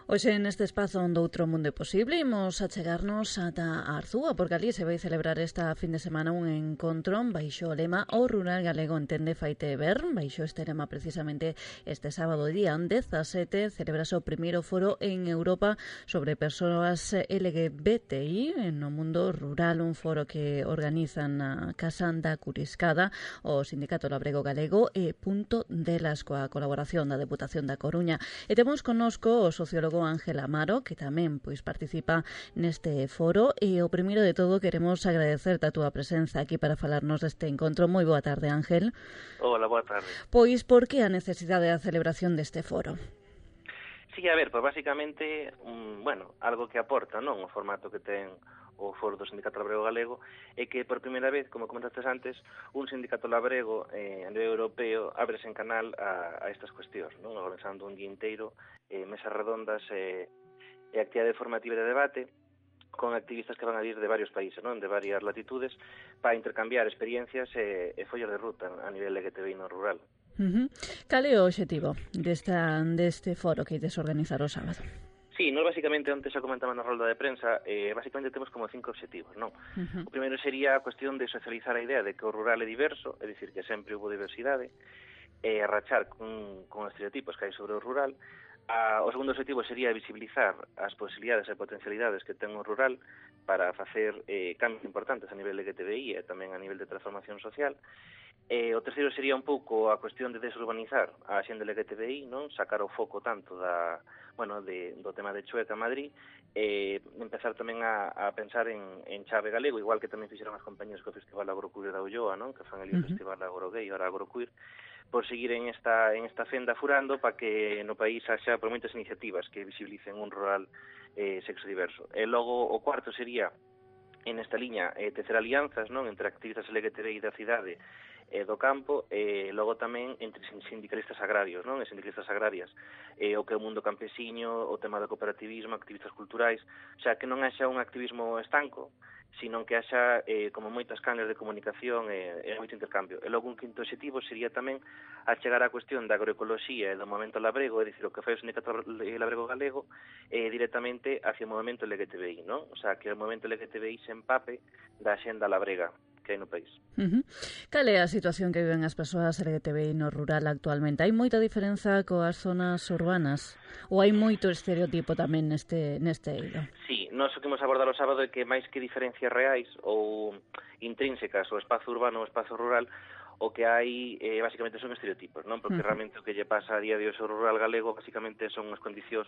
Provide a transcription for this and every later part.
Hoxe neste espazo onde outro mundo é posible imos a chegarnos ata a Arzúa, porque ali se vai celebrar esta fin de semana un encontro baixo o lema O Rural Galego entende faite ver. Baixo este lema precisamente este sábado día 17 celebrase o primeiro foro en Europa sobre persoas LGBTI no mundo rural, un foro que organizan na Casa da Curiscada o Sindicato Labrego Galego e Punto delas coa colaboración da Deputación da Coruña. E temos connosco o sociólogo Ángel Amaro, que tamén participa neste foro, e o primeiro de todo queremos agradecerte a túa presenza aquí para falarnos deste encontro. Moi boa tarde, Ángel. Hola, boa tarde. Pois, por que a necesidade da celebración deste foro? Sí, a ver, pues basicamente, algo que aporta, non, o formato que ten o foro do Sindicato Labrego Galego é que por primeira vez, como comentaste antes, un sindicato labrego a nivel europeo ábrese en canal a estas cuestións, non, organizando un día inteiro, mesas redondas e actividade formativa de debate con activistas que van a vir de varios países, non, de varias latitudes, para intercambiar experiencias e follas de ruta a nivel LGTBI no rural. Cal é o obxectivo deste foro que ides organizar o sábado? Sí, nós basicamente, antes xa comentaba na rolda de prensa, basicamente temos como 5 obxectivos, non? O primeiro sería a cuestión de socializar a idea de que o rural é diverso, é dicir, que sempre houve diversidade, e rachar con estereotipos que hai sobre o rural. O segundo objetivo sería visibilizar as posibilidades e potencialidades que ten o rural para facer cambios importantes a nivel LGTBI e tamén a nivel de transformación social. O terceiro sería un pouco a cuestión de desurbanizar a xente LGTBI, non, sacar o foco tanto do tema de Chueca a Madrid, empezar tamén a pensar en chave galego, igual que tamén fixeron as compañías co Festival Agroqueer da Ulloa, non, que fan ali o Festival Agrogay, ora Agroqueer, por seguir en esta fenda furando para que no país haxa por moitas iniciativas que visibilicen un rural sexo diverso. E logo o cuarto sería en esta liña tecer alianzas, non, entre activistas LGTBI da cidade e do campo, e logo tamén entre sindicalistas agrarios, non, e sindicalistas agrarias, o que é o mundo campesiño, o tema do cooperativismo, activistas culturais, xa que non haxa un activismo estanco, sino que haxa como moitas canles de comunicación e moito intercambio. E logo un quinto objetivo sería tamén a chegar á cuestión da agroecoloxía e do movimento labrego, é dicir, o que fai o Sindicato Labrego Galego directamente hacia o movimento LGTBI, non? O sea, que o movimento LGTBI se empape da xenda labrega que hai no país. Cal é a situación que viven as persoas LGTBI no rural actualmente? Hai moita diferenza coas zonas urbanas? Ou hai moito estereotipo tamén neste eido? Sí, nós o que imos abordar o sábado é que máis que diferencias reais ou intrínsecas ao espazo urbano ou espazo rural, o que hai basicamente son estereotipos, non? Porque realmente o que lle pasa a día de hoxe ao rural galego basicamente son as condicións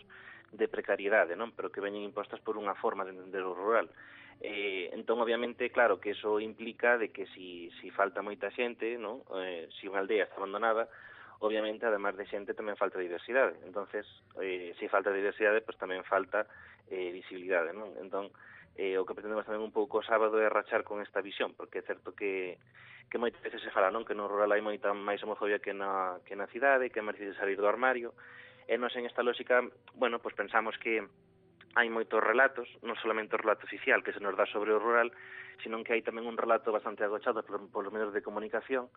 de precariedade, non? Pero que veñen impostas por unha forma de entender o rural. Entón, obviamente, claro, que eso implica de que si falta moita xente, non? Si unha aldea está abandonada, obviamente, además de xente, tamén falta diversidade. Entonces, se falta diversidade, pues tamén falta visibilidade, non? Entón, o que pretendemos tamén un pouco o sábado é rachar con esta visión, porque é certo que moitas veces se fala, non, que no rural hai moita máis homofobia que na cidade, que é máis difícil salir do armario, e nós en esta lógica, pues pensamos que hai moitos relatos, non solamente o relato oficial que se nos dá sobre o rural, sino que hai tamén un relato bastante agochado polos medios de comunicación,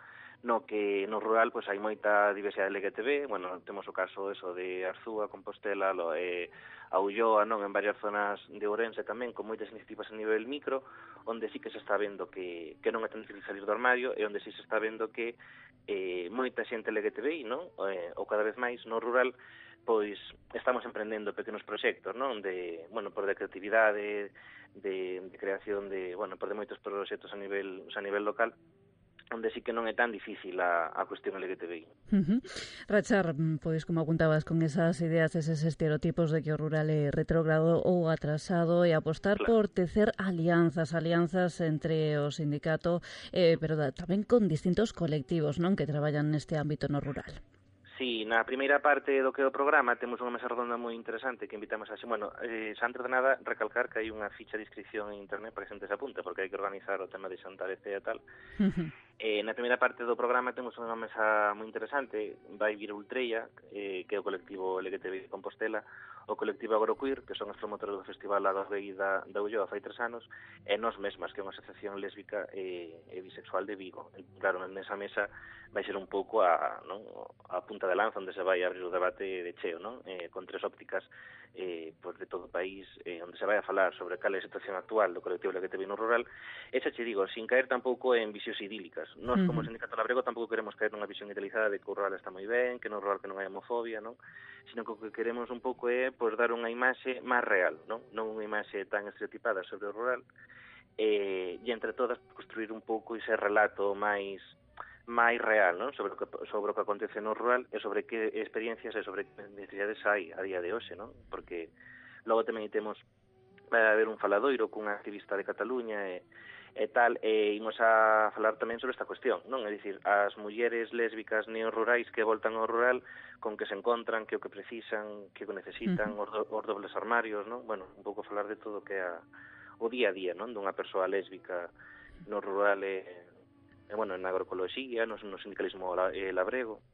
no que no rural pues hai moita diversidade LGTB, temos o caso de Arzúa, Compostela, a Ulloa, non, en varias zonas de Ourense tamén, con moitas iniciativas a nivel micro, onde sí que se está vendo que non é tan difícil salir do armario, e onde sí se está vendo que moita xente LGTBI, non, ou cada vez máis no rural, pois estamos emprendendo pequenos proxectos, non, por de creatividade, de creación de moitos proxectos a nivel local, onde sí que non é tan difícil a cuestión LGTBI. Rachar, pois, como apuntabas, con esas ideas, eses estereotipos de que o rural é retrógrado ou atrasado, e apostar por tecer alianzas entre o sindicato, pero tamén con distintos colectivos, non, que traballan neste ámbito no rural. Sí, na primeira parte do que é o programa temos unha mesa redonda moi interesante que invitamos xa antes de nada recalcar que hai unha ficha de inscripción en internet para que a xente se apunte, porque hai que organizar o tema de xantar e tal. Na primeira parte do programa temos unha mesa moi interesante. Vai vir Ultreia, que é o colectivo LGTBI de Compostela, o colectivo Agroqueer, que son os promotores do Festival Agorrei da Ulloa fai 3 anos, e Nós Mesmas, que é unha asociación lésbica e bisexual de Vigo. Claro, nesa mesa vai ser un pouco a punta de lanza onde se vai abrir o debate de cheo, non? Con 3 ópticas pues de todo o país, onde se vai a falar sobre cal é a situación actual do colectivo LGTBI no rural. E xa che digo, sin caer tampouco en visións idílicas. Nós, como Sindicato Labrego, tampouco queremos caer nunha visión idealizada de que o rural está moi ben, que no rural que non hai homofobia, non? Sino que o que queremos un pouco é pues, dar unha imaxe máis real, non unha imaxe tan estereotipada sobre o rural, e entre todas construir un pouco ese relato máis real, non? Sobre o que acontece no rural e sobre que experiencias e sobre que necesidades hai a día de hoxe, non? Porque logo tamén temos vai haber un faladoiro cunha activista de Cataluña e tal, e imos a falar tamén sobre esta cuestión, non? É dicir, as mulleres lésbicas neorrurais que voltan ao rural, con que se encontran, que o que precisan, que o necesitan, os dobles armarios, non? Bueno, un pouco falar de todo o que é o día a día, non? Dunha persoa lésbica no rural bueno, na agroecoloxía, no sindicalismo labrego.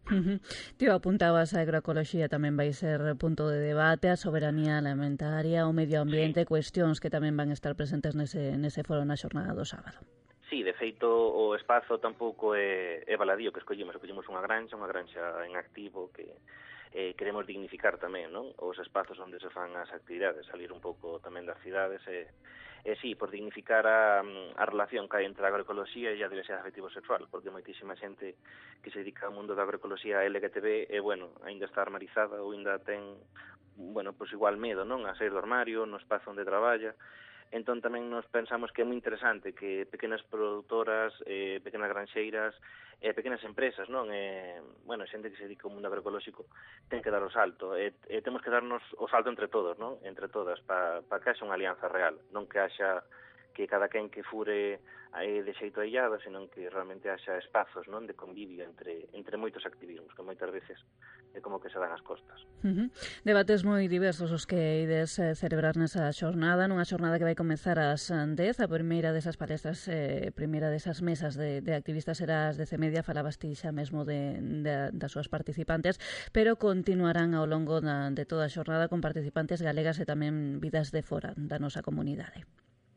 Ti apuntabas a agroecoloxía tamén vai ser punto de debate, a soberanía alimentaria, o medio ambiente, cuestións que tamén van estar presentes nese foro na xornada do sábado. Sí, de feito, o espazo tampouco é baladío que escollemos unha granxa en activo que queremos dignificar tamén, non? Os espazos onde se fan as actividades, salir un pouco tamén das cidades sí, por dignificar a relación que hai entre a agroecoloxía e a diversidade afectivo-sexual, porque moitísima xente que se dedica ao mundo da agroecoloxía LGTB bueno, ainda está armarizada ou ainda ten, bueno, pues igual medo, non? A sair do armario, no espazo onde traballa. Entón tamén nos pensamos que é moi interesante que pequenas produtoras, pequenas granxeiras, pequenas empresas, non? Bueno, xente que se dedica ao mundo agroecolóxico ten que dar o salto. Temos que darnos o salto entre todos, non? Entre todas, para que haxa unha alianza real, non que haxa que cada quen que fure de xeito aillado, senón que realmente haxa espazos, non, de convivio entre moitos activismos, que moitas veces é como que se dan as costas. Debates moi diversos os que ides celebrar nesa xornada, nunha xornada que vai comezar ás 10, a primeira desas palestras, primeira desas mesas de activistas será ás 10:30, falabas ti xa mesmo das súas participantes, pero continuarán ao longo de toda a xornada con participantes galegas e tamén vidas de fora da nosa comunidade.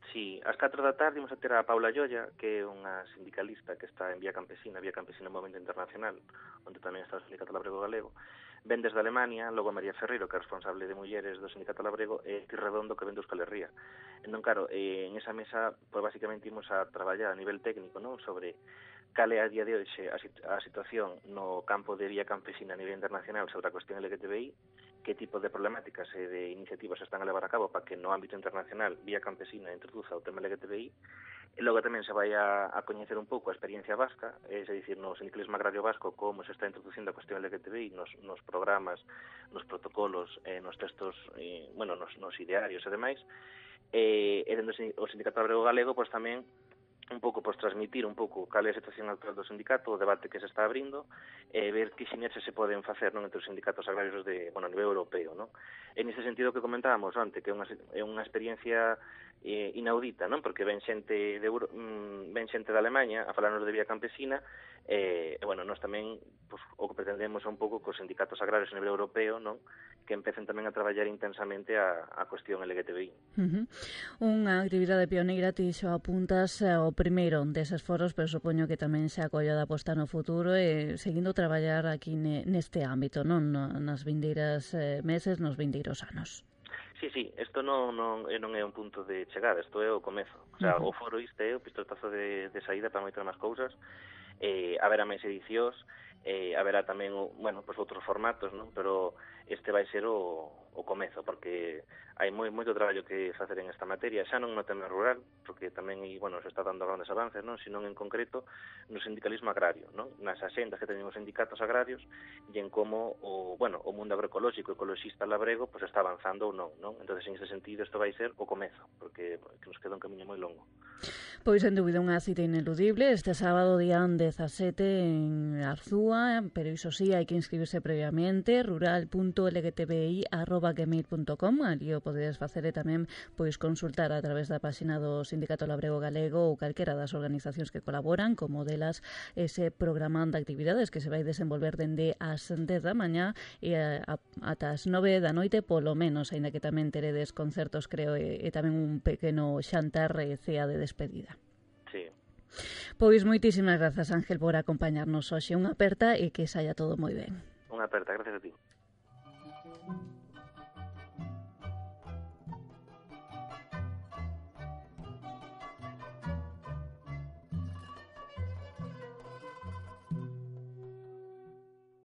Sí, ás 4 da tarde imos a ter a Paula Llolla, que é unha sindicalista que está en Vía Campesina Movimento Internacional, onde tamén está o Sindicato Labrego Galego. Ven desde Alemania, logo María Ferreiro, que é responsable de mulleres do Sindicato Labrego, e Ti Redondo, que ven de Euskal Herria. Entón, claro, en esa mesa, pues, basicamente imos a traballar a nivel técnico, non? Sobre cal é a día de hoxe a situación no campo de Vía Campesina a nivel internacional sobre a cuestión LGTBI, que tipo de problemáticas e de iniciativas se están a levar a cabo para que no ámbito internacional Vía Campesina introduza o tema LGTBI. E logo tamén se vai a coñecer un pouco a experiencia vasca, é dicir, no sindicalismo agrario vasco, como se está introducindo a cuestión LGTBI nos programas, nos protocolos, nos textos, bueno, nos idearios e demais. E dentro do Sindicato Labrego Galego, pois tamén un pouco, pois, transmitir un pouco cal é a situación actual do sindicato, o debate que se está abrindo, e ver que sinerxes se poden facer, non, entre os sindicatos agrarios a nivel europeo, non? En ese sentido que comentábamos antes, que é unha experiencia inaudita, non? Porque ven xente de Alemanha a falarnos de Vía Campesina, bueno, nós tamén, pues, o que pretendemos é un pouco que os sindicatos agrarios a nivel europeo, non, que empecen tamén a traballar intensamente a cuestión LGTBI. Unha actividade pioneira, ti xo apuntas o primeiro deses foros, pero supoño que tamén se acolla da aposta no futuro e seguindo traballar aquí neste ámbito, non? Nas vindeiras meses, nos vindeiros anos. Sí, isto non é un punto de chegada, isto é o comezo. O sea, o foro é o pistoletazo de saída para moitas máis cousas. Haberá máis edicións, haberá tamén, bueno, pues outros formatos, non? Pero este vai ser o comezo, porque hai moito traballo que facer en esta materia, xa non no tema rural, porque tamén, bueno, se está dando grandes avances, non? Sino en concreto no sindicalismo agrario, non? Nas axendas que teñen os sindicatos agrarios e en como o mundo agroecolóxico, ecoloxista labrego, pues está avanzando ou non, non? Entonces, en ese sentido, isto vai ser o comezo, porque nos queda un camiño moi longo. Pois, sen dúbida, unha cita ineludible este sábado día 17 en Arzúa, pero iso sí, hai que inscribirse previamente, rural.lgtbi@gmail.com. radio.gmail.com. Ali o podedes facer e tamén pois consultar a través da páxina do Sindicato Labrego Galego ou calquera das organizacións que colaboran, como delas ese programa de actividades que se vai desenvolver dende as 10 da mañá e ata as 9 da noite, polo menos, aínda que tamén teredes concertos, creo, e tamén un pequeno xantar e cea de despedida. Sí. Pois moitísimas grazas, Ángel, por acompañarnos hoxe. Unha aperta e que saia todo moi ben. Unha aperta, gracias a ti.